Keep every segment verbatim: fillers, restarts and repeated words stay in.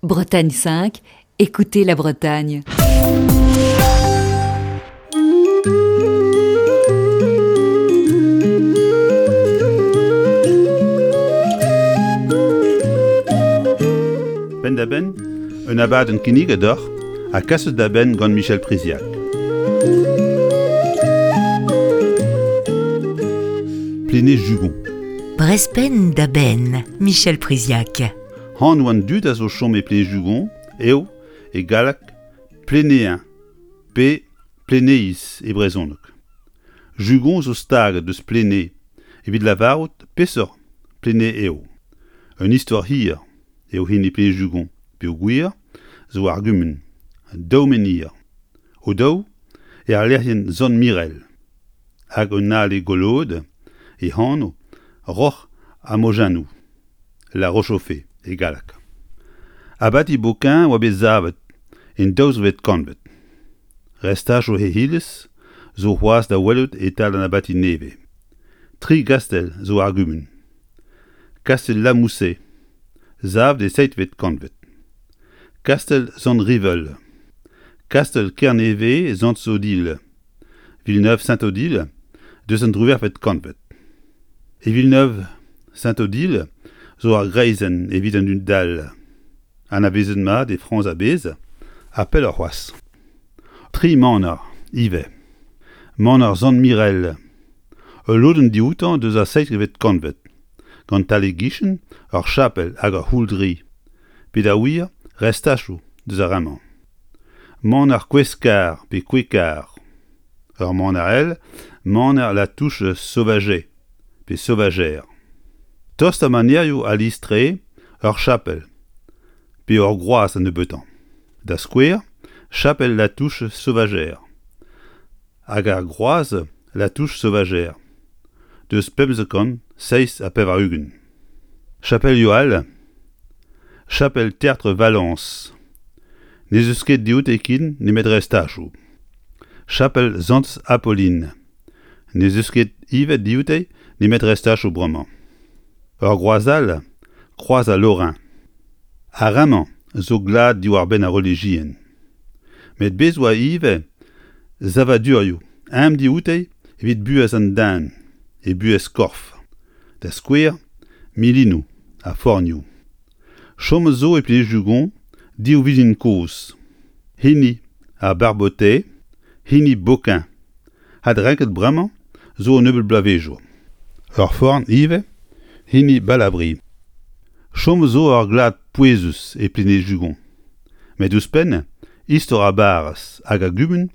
Bretagne cinq, écoutez la Bretagne. Penn-da-benn, un abadenn kinniget deoc'h ha kaset da benn gant Michel Priziac. Plénée-Jugon. Brezh penn da benn, Michel Priziac. Anv an dud a zo chom e Plénée-Jugon eo e galleg Plénéens pe Plénéiz e brezhoneg. Jugon zo staget deus Plénée evit lavarout peseurt Plénée eo. Un istor hir eo hini Plénée-Jugon peogwir zo ar gumun, daou menhir. O daou e ar lec'hienn Sant Mirel hag un ale goloet e anv Roc'h ha Mojennoù, La Roche-aux-Fées e galleg. Abati Boquin oa bet savet en daouzvet kantved. Restajoù he iliz zo c'hoazh da welout e-tal an abati nevez. Tri gastell zo ar gumun. Kastell La Moussaye, savet e seizhvet kantved. Kastell Sant-Rivel. Kastell Kernevez Sant-Odile. Villeneuve-Saint-Odile deus an driwec'hvet kantved. E Villeneuve-Saint-Odile zo ar greizenn evit an dud dall. Anavezet mat e Frañs a-bezh ha pelloc'h c'hoazh. Tri maner ivez. Maner Sant-Mirel. Ul lodenn dioutañ deus ar seizhvet kantved. Gant tal-e-gichen ur chapel hag ur c'houldri. Pe da wir restachoù deus ar re-mañ. Maner Koueskar pe Kouekar. Ur maner all, maner La Touche Sauvaget pe Sauvagère. Tost ar manerioù a-lies-tre ur chapel pe ur groaz an nebeutañ. Da skouer, chapel La Touche Sauvagère hag ar groaz La Touche Sauvagère deus pemzek kant seizh ha pevar-ugent. Chapelioù all, chapel Tertre Valence. N'ez eus ket dioute ken nemet restachoù. Chapel Santez Apolline. N'ez eus ket ivez dioute nemet restachoù bremañ. Ur groaz all, kroaz al Lorrain. Ar re-mañ zo glad diwar-benn ar relijion. Met bez oa ivez savadurioù aemp dioute evit buhez an den e buhez korf. Da skouer, milinoù ha fornioù. Chom zo e Plénée-Jugon div vilin kozh. Hini ar Barbotais, hini Boquin. Adrenket bremañ zo un nebeud bloavezhioù. Ur forn ivez, hini Balabri. Chom zo ur glad pouezus e Plénée-Jugon. Met ouzhpenn, istor ar barrez hag ar gumun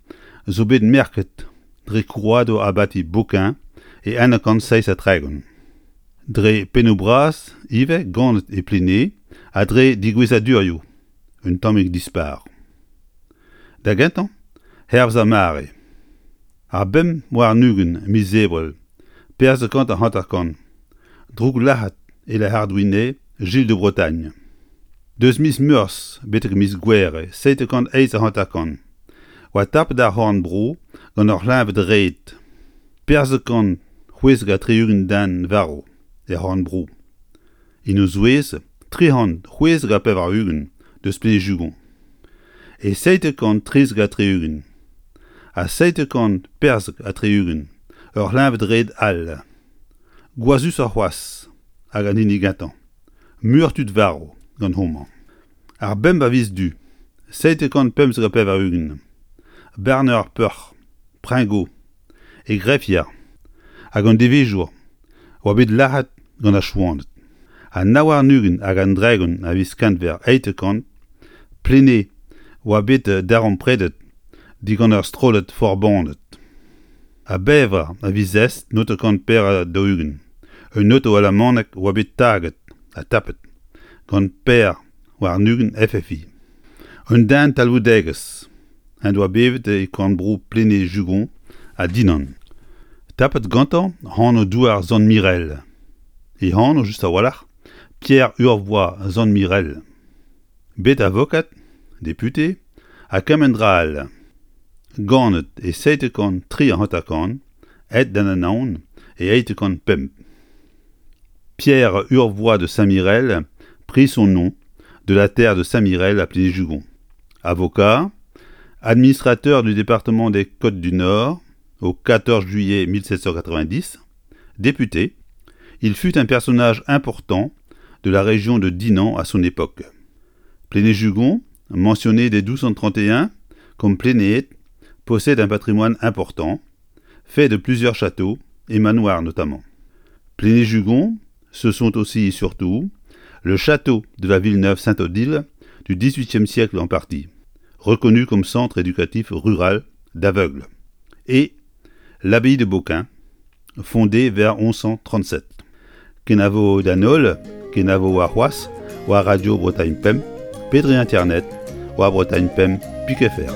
zo bet merket dre krouadur abati Boquin e eizh kant seizh ha tregont. Dre pennoù-bras ivez ganet e Plénée ha dre degouezhadurioù un tammig dispar. Da gentañ, hervez ar mare. Ar bemp warn-ugent miz Ebrel, perzh kant ha hanter-kant, droug-lazhet e La Hardouinay, Gilles de Bretagne. Deus miz Meurzh betek miz Gouere, seitek kant eizh ha hanter-kant, oa tapet ar c'horn-bro gant ur c'hleñved-red. Perzh kant c'hwezek ha tri-ugent den varv er c'horn-bro. En o zouez, tri c'hant c'hwezek ha pevar-ugent deus Plénée-Jugon. E seitek kant trizek ha tri-ugent ha seitek kant perzek ha tri-ugent ur c'hleñved-red all. Gwazhusoc'h c'hoazh hag an hini gentañ. Muioc'h tud varv gant homañ. Ar bemp a viz Du, seitek kant pemzek ha pevar-ugent. Barner ar Peuc'h, Pringot, e grefier hag an devezhour oa bet lazhet gant ar Chouaned. An nav warn-ugent hag an dregont a viz Kenver eizhtek kant, Plénée oa bet darempredet digant ur strollad forbaned. A bevar a viz Est naontek kant pevar ha daou-ugent. Un oto alamanek oa bet taget ha tapet gant per warn-ugent F F I. Un den talvoudegezh en doa bevet e korn-bro Plénée-Jugon ha Dinan. Tapet gantañ anv douar Sant-Mirel. E anv just a-walc'h, Pierre Urvoy Sant-Mirel. Bet avokad, député ha kement dra all. Ganet e seitek kant tri ha hanter-kant, aet d'an Anaon e eizhtek kant pemp. Pierre Urvoy de Saint-Mirel prit son nom de la terre de Saint-Mirel à Pléné-Jugon. Avocat, administrateur du département des Côtes-du-Nord au quatorze juillet mille sept cent quatre-vingt-dix, député, il fut un personnage important de la région de Dinan à son époque. Pléné-Jugon, mentionné dès douze cent trente et un comme Plénéet, possède un patrimoine important, fait de plusieurs châteaux et manoirs notamment. Pléné-Jugon, ce sont aussi et surtout le château de la Villeneuve-Saint-Odile du dix-huitième siècle en partie, reconnu comme centre éducatif rural d'aveugles, et l'abbaye de Beauquin, fondée vers onze cent trente-sept. Kenavo Danol, Kenavo Arroas, ou à Radio Bretagne Pemp, Pédri Internet, ou à Bretagne Pemp, Piquet Fer.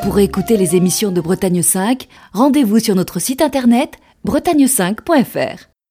Pour écouter les émissions de Bretagne cinq, rendez-vous sur notre site internet bretagne cinq point F R.